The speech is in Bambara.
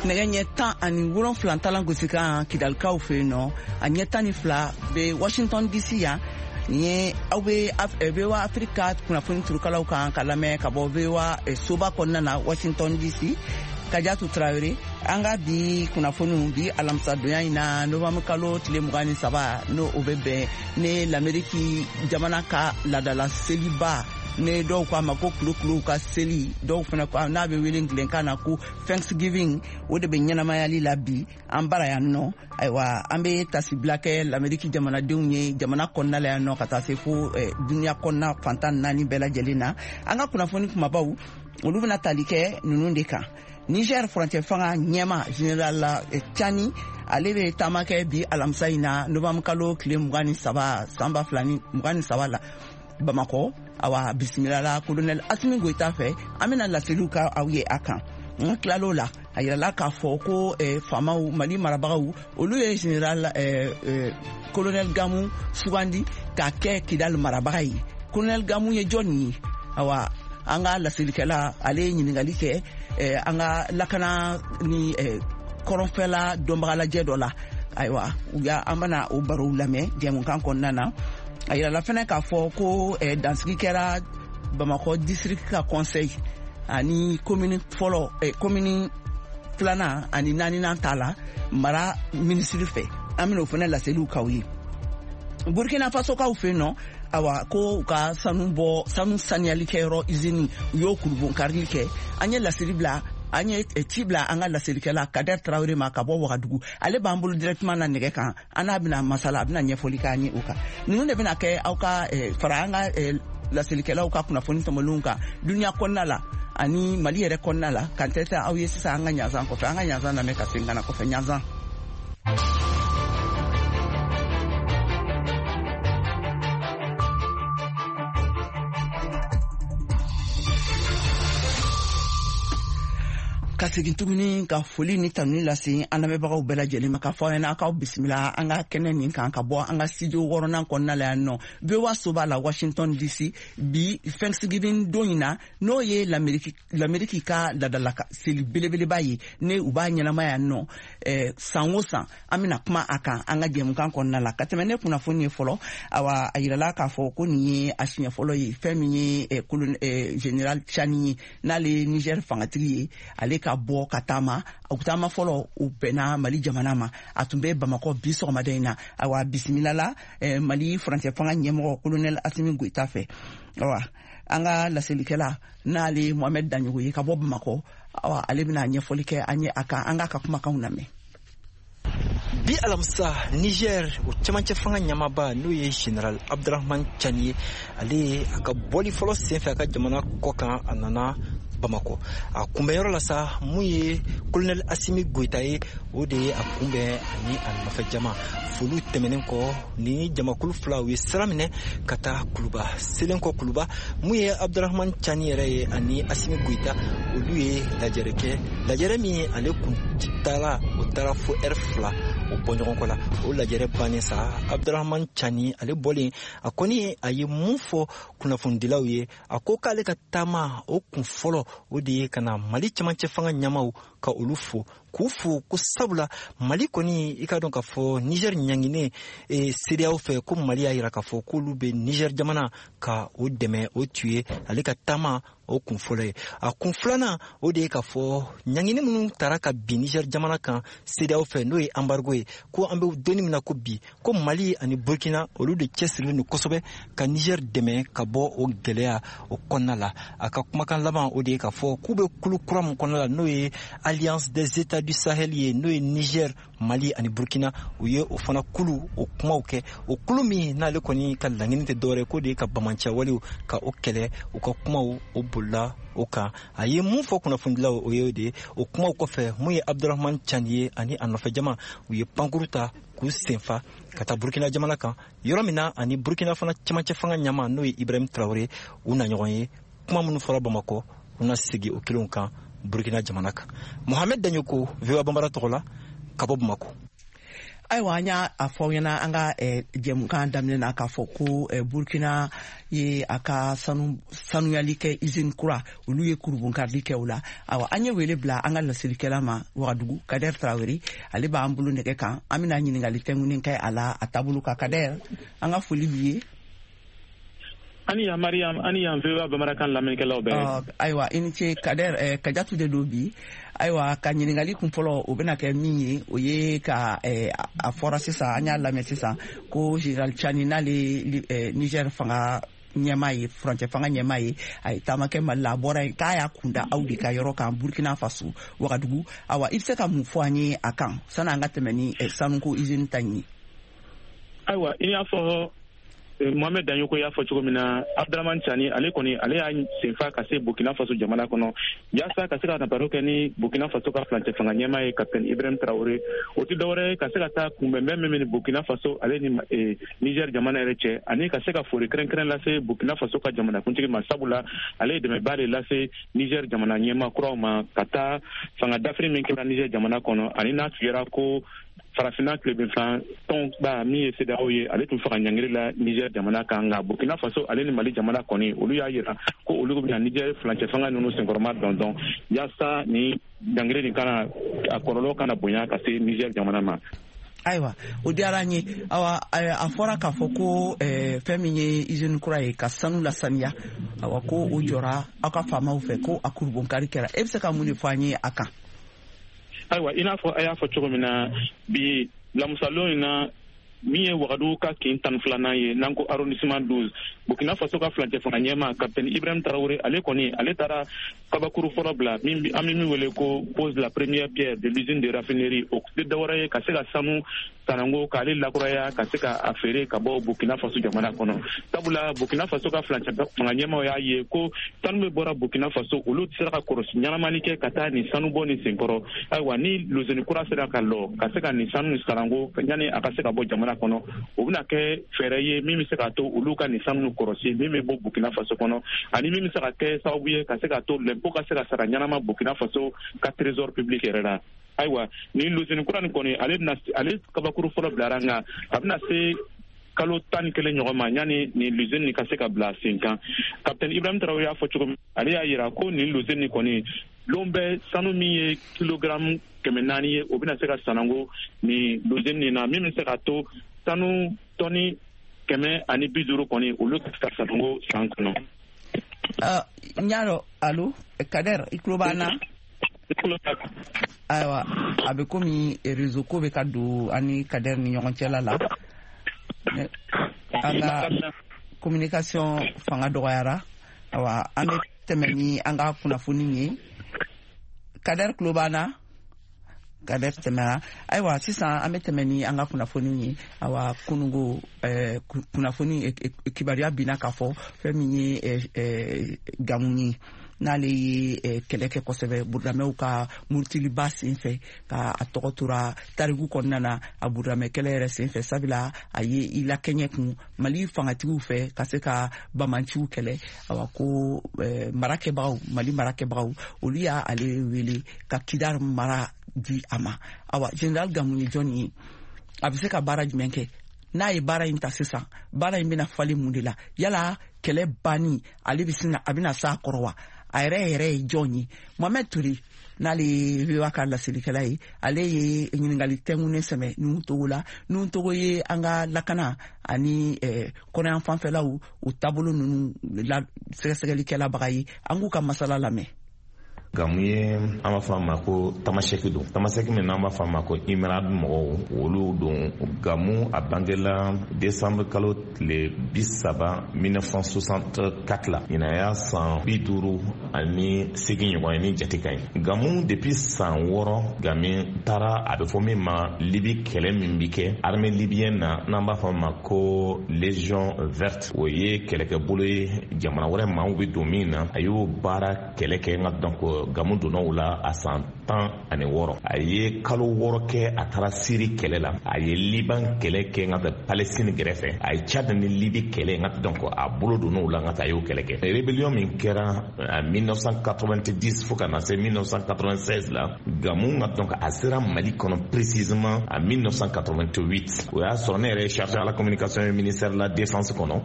Nɛgɛ ɲɛ 17 talan gosikan Kidalikaw fɛ yen nɔ, a ɲɛ 12 bɛ Washington DC yan. Nin ye aw bɛ VOA Afrique ka kunnafoni turukalaw kan ka lamɛn ka bɔ VOA soba kɔnɔna na Washington DC. Kajatu Tarawele, an ka bi kunnafoniw bi alamisadonya in na, novembre kalo tile 23, n'o o bɛ bɛn ne Lameriki jamana ka laadala seliba, ne dɔw ko a ma ko kulokuluw ka seli, dɔw fana ko n'a bɛ wele ngilɛnkan na ko Thanksgiving, o de bɛ ɲɛnamayali la bi an bara yan nɔ. Ayiwa, an bɛ tasibila kɛ Lameriki jamanadenw ye jamana kɔnɔna la yan nɔ, ka taa se fo duniya kɔnɔna fan 14 bɛɛ lajɛlen na. An ka kunnafoni kumabaw, olu bɛna tali kɛ ninnu de kan. Niger furancɛ fanga ɲɛma général Tiani, ale bɛ taama kɛ bi alamisa in na, novembre kalo tile 23 san 2023 la Bamakɔ. Awa, bisimilala colonel Asimi Goyita fɛ. An bɛna laseliw ka aw ye a kan. N tilal'o la, a yirala k'a fɔ ko faamaw, Mali marabagaw, olu ye général colonel Gamu sugandi k'a kɛ Kidal marabaga ye. Colonel Gamu ye jɔnni ye? Awa, an ka laselikɛla, ale ye ɲininkali kɛ an ka lakana ni kɔrɔnfɛla dɔnbagalajɛ dɔ la. Ayiwa, u y'a an bɛna o barow lamɛn jɛmukan kɔnɔna na. A yirala fɛnɛ k'a fɔ ko dansigi kɛra Bamakɔ district ka conseil ani commune fɔlɔ, commune filanan ani naaninan ta la mara minisiri fɛ. An bɛna o fɛnɛ laseliw k'aw ye. Burkina Faso kaw fɛ yen nɔ, awa, ko u ka sanu bɔ, sanu saniyali kɛyɔrɔ usine, u y'o kurubonkarili kɛ. An ye laseli bila, an ye ci bila an ka laselikɛla Kader Tarawele ma ka bɔ Wagadugu. Ale b'an bolo directement na nɛgɛ kan, an n'a bɛna masala, a bɛna ɲɛfɔli k'an ye o kan. Ninnu de bɛna kɛ aw ka fara an ka laselikɛlaw ka kunnafoni tɔmɔlenw kan duniya kɔnɔna la ani Mali yɛrɛ kɔnɔna la. Kan tɛ aw ye sisan an ka ɲanzan kɔfɛ, an ka ɲanzan lamɛn ka segin ka na kɔfɛ ɲanzan. Ka segin tuguni ka foli ni tanuni lase an lamɛnbagaw bɛɛ lajɛlen ma, ka fɔ aw ɲɛna k'aw bisimila an ka kɛnɛ nin kan ka bɔ an ka studio wɔɔrɔnan kɔnɔna la yan nɔ, VOA soba la Washington DC, bi Thanksgiving don in na, n'o ye Lameriki ka ladala seli belebeleba ye, ne u b'a ɲɛnama yan nɔ san o san. An bɛna kuma a kan an ka jɛmukan kɔnɔna la. Ka tɛmɛ ne kunnafoni ye fɔlɔ, awa, a yirala k'a fɔ ko nin ye a siɲɛ fɔlɔ ye fɛn min ye général Tiani ye, n'ale ye Niger fangatigi ye, ale ka bɔ ka taama. O taama fɔlɔ, o bɛnna Mali jamana ma. A tun bɛ Bamakɔ bi sɔgɔmada in na. Awa, bisimilala Mali furancɛ fanga ɲɛmɔgɔ colonel Asimi Goyita fɛ. Awa, an ka laselikɛla, n'ale Mohamed Daɲogo ye ka bɔ Bamakɔ, awa, ale bɛna ɲɛfɔli kɛ an ye a kan. An k'a ka kumakanw lamɛn. Bi alamisa, Niger o cɛmancɛ fanga ɲamaba, n'o ye général Abdurahman Tiani ye, ale ye a ka bɔli fɔlɔ senfɛ a ka jamana kɔ kan, a nana Bamakɔ. A kunbɛnyɔrɔ la sa, mun ye colonel Asimi Goyita ye, o de ye a kunbɛn ani a nɔfɛ jama. Foliw tɛmɛnen kɔ, ni jamakulu fila u ye sira minɛ ka taa Kuluba. Selen kɔ Kuluba, mun ye Abdurahman Tiani yɛrɛ ye ani Asimi Goyita, olu ye lajɛrɛ kɛ, lajɛrɛ min ale kun taara, o taara fo ɛri 2 o bɔ ɲɔgɔn kɔ la. O lajɛrɛ bannen sa, Abdurahman Tiani ale bɔlen, a kɔni a ye mun fɔ kunnafonidilaw ye? A ko k'ale ka taama o kun fɔlɔ, o de ye ka na Mali cɛmancɛ fanga ɲɛmaw ka olu fo, k'u fo ko sabula Mali kɔni, i ka dɔn k'a fɔ Niger ɲanginen CEDEAO fɛ, ko Mali y'a yira k'a fɔ k'olu bɛ Niger jamana ka o dɛmɛ. O tun ye ale ka taama o kun fɔlɔ ye. A kun filanan, o de ye k'a fɔ ɲangini minnu tara ka bin Niger jamana kan CEDEAO fɛ, n'o ye embargo ye, ko an bɛ donni min na ko bi, ko Mali ani Burkina, olu de cɛsirilen don kosɛbɛ ka Niger dɛmɛ ka bɔ o gɛlɛya o kɔnɔna la. A ka kumakan laban, o de ye k'a fɔ k'u bɛ kulu kura min kɔnɔna la, n'o ye Alliance des États du Sahel ye, n'o ye Niger, Mali ani Burkina, u ye o fana kulu o kumaw kɛ. O kulu min n'ale kɔni ka laɲini tɛ dɔwɛrɛ k'o de ye ka bamancɛwalew ka o kɛlɛ. U ka kumaw o bolila o kan. A ye mun fɔ kunnafonidilaw, o ye o de ye. O kumaw kɔfɛ, mun ye Abdurahman Tiani ye ani a nɔfɛ jama, u ye pankuru ta k'u senfa ka taa Burkina jamana kan, yɔrɔ min na ani Burkina fana cɛmancɛ fanga ɲama, n'o ye Ibrahim Traoré, u na ɲɔgɔn ye. Kuma minnu fɔra Bamakɔ, u na segi o kelenw kan Burkina jamana kan. Mohamed Daɲoko, VOA Bambara tɔgɔ la ka bɔ Bamakɔ. Ayiwa, an y'a fɔ aw ɲɛna an ka jɛmukan daminɛ na k'a fɔ ko Burkina ye a ka sanuyali kɛ usine kura, olu ye kurubonkarili kɛ o la. Awa, an ye wele bila an ka laselikɛla ma Wagadugu, Kader Tarawele, ale b'an bolo nɛgɛ kan. An bɛna ɲininkali tɛnkunnen kɛ a la a taabolo kan. Kader, an ka foli b'i ye. Ani yan Mariam, ani yan VOA bamanankan lamɛnnikɛlaw bɛɛ. Ayiwa, i ni ce Kader. Kajatu de don bi. Ayiwa, ka ɲininkali kun fɔlɔ, o bɛna kɛ min ye, o ye ka a fɔra sisan, an y'a lamɛn sisan ko général Tiani, n'ale Niger fanga ɲɛmaa ye, furancɛ fanga ɲɛmaa ye, a ye taama kɛ Mali la, a bɔra yen k'a y'a kunda aw de ka yɔrɔ kan, Burkina Faso, Wagadugu. Awa, i bɛ se ka mun fɔ an ye a kan sanni an ka tɛmɛ ni sanuko usine ta in ye? Ayiwa, i y'a fɔ, Mohamed Dagnoko y'a fɔ cogo min na, Abdramane Tiani, ale kɔni, ale y'a senfa ka se Burkina Faso jamana kɔnɔ yaasa ka se ka na baro kɛ ni Burkina Faso ka furancɛ fanga ɲɛmaa ye, Capitaine Ibrahim Traoré. O tɛ dɔwɛrɛ ye ka se ka taa kunbɛnbɛn min bɛ ni Burkina Faso ale ni Niger jamana yɛrɛ cɛ, ani ka se ka foli kɛrɛnkɛrɛn lase Burkina Faso ka jamanakuntigi ma, sabula ale ye dɛmɛba de lase Niger jamana ɲɛmaa kuraw ma ka taa fanga dafiri min kɛra Niger jamana kɔnɔ, ani n'a tun ko Farafinna tilebinfan tɔnba min ye CEDEAO ye, ale tun faga ɲangiri la Niger jamana kan. Nka Burkina Faso ale ni Mali jamana kɔni, olu y'a yira ko olu bɛna Niger furancɛ fanga ninnu senkɔrɔma dɔndɔn yaasa ni ɲangiri nin kana a kɔlɔlɔ kana bonya ka se Niger jamana ma. Ayiwa, o diyara an ye. Awa, a fɔra k'a fɔ ko fɛn min ye usine kura ye ka sanu lasaniya, awa, ko o jɔra aw ka faamaw fɛ, ko a kurubonkari kɛra. E bɛ se ka mun de fɔ an ye a kan? Ayiwa, i n'a fɔ a y'a fɔ cogo min na, bi lamusalon in na, min ye Wagadugu ka kin 12nan ye, n'an ko arrondissement 12, Burkina Faso ka furancɛ fanga ɲɛma, Capitaine Ibrahim Traoré, ale kɔni, ale taara kabakuru fɔlɔ bila, min an bɛ min wele ko pose la première pierre de l'usine de raffinerie. O tɛ dɔwɛrɛ ye ka se ka sanu sanango k'ale lakuraya ka se ka a feere ka bɔ Burkina Faso jamana kɔnɔ, sabula Burkina Faso ka furancɛ fanga ɲɛmaw y'a ye ko sanu bɛ bɔra Burkina Faso, olu tɛ se ka kɔlɔsi ɲɛnamani kɛ ka taa nin sanu bɔ nin senkɔrɔ. Ayiwa, ni lozeni kura sera ka lɔ ka se ka nin sanu sanango yanni a ka se ka bɔ jamana kɔnɔ, o bɛna kɛ fɛɛrɛ ye min bɛ se k'a to olu ka nin sanu kɔlɔsi min bɛ bɔ Burkina Faso kɔnɔ, ani min bɛ se ka kɛ sababu ye ka se k'a to lɛnpo ka se ka sara ɲɛnama Burkina Faso ka trésor public yɛrɛ la. Ayiwa, nin lozeni kura nin kɔni, ale bɛna ale kabakuru fɔlɔ bilara, nka a bɛna se kalo 11 ɲɔgɔn ma yanni nin lozeni nin ka se ka bila sen kan. Capitaine Ibrahim Traoré y'a fɔ cogo min, ale y'a yira ko nin lozeni nin kɔni, lon bɛɛ sanu min ye kilogramme 400 ye, o bɛna se ka sanango nin lozeni nin na, min bɛ se k'a to sanu tɔni 150 kɔni, olu ka se ka sanango san kɔnɔ. N y'a dɔn. Alo Kader, i tulo b'an na? Ayiwa, a bɛ komi réseau ko bɛ ka don an ni Kader ni ɲɔgɔn cɛla la, an ka communication fanga dɔgɔyara. Awa, an bɛ tɛmɛ ni an ka kunnafoni ye. Kader tulo b'an na? Kader tɛmɛra. Ayiwa, sisan an bɛ tɛmɛ ni an ka kunnafoni ye. Awa, kunungo kunnafoni kibaruya binna k'a fɔ fɛn min ye Gamu ye, n'ale ye kɛlɛ kɛ kosɛbɛ burudamɛw ka murutiliba sen fɛ, ka a tɔgɔ tora tariku kɔnɔna na a burudamɛ kɛlɛ yɛrɛ sen fɛ, sabula a ye i lakɛɲɛ kun Mali fangatigiw fɛ ka se ka bamanciw kɛlɛ. Awa, ko marakɛbagaw, Mali marakɛbagaw, olu y'a ale wele ka Kidal mara di a ma. Awa, général Gamu ye jɔnni ye? A bɛ se ka baara jumɛn kɛ? N'a ye baara in ta sisan, baara in bɛna falen mun de la? Yala kɛlɛ banni, ale bɛ sina a bɛna s'a kɔrɔ wa? A yɛrɛ yɛrɛ ye jɔn ye? Mohamed Toure, n'ale ye VOA ka laselikɛla ye, ale ye ɲininkali tɛnkunnen sɛmɛ Nuhu Togo la. Nuhu Togo ye an ka lakana ani kɔnɔyan fanfɛlaw o taabolo ninnu la sɛgɛsɛgɛlikɛlabaga ye. An k'u ka masala lamɛn. Gamu ye, an b'a fɔ a ma ko Tamasɛki don, Tamasɛki min n'an b'a fɔ a ma ko Imerad mɔgɔw, olu don. Gamu, a bangela décembre kalo tile 30 1964 la. Ɲinan y'a san 58 ɲɔgɔn ye ni jate ka ɲi. Gamu, depuis san 6, Gamu taara a bɛ fɔ min ma Libi kɛlɛ min bi kɛ armée libyenne na, n'an b'a fɔ a ma ko Légion verte, o ye kɛlɛkɛbolo ye jamana wɛrɛ maaw bɛ don min na. A y'o baara kɛlɛ kɛ, nka donc Gamu donna o la a san 16. A ye kalo 6 kɛ, a taara Siri kɛlɛ la, a ye Liban kɛlɛ kɛ, n ka Palestine gɛrɛfɛ, a ye Tchad ni Libi kɛlɛ, n ka donc a bolo donna o la, n ka a y'o kɛlɛ kɛ. Rébellion min kɛra en 1990 fo ka na se 1996 la, Gamu, n ka donc a sera Mali kɔnɔ précisément en 1988. O y'a sɔrɔ ne yɛrɛ ye chargé à la communication ministère de la Défense kɔnɔ.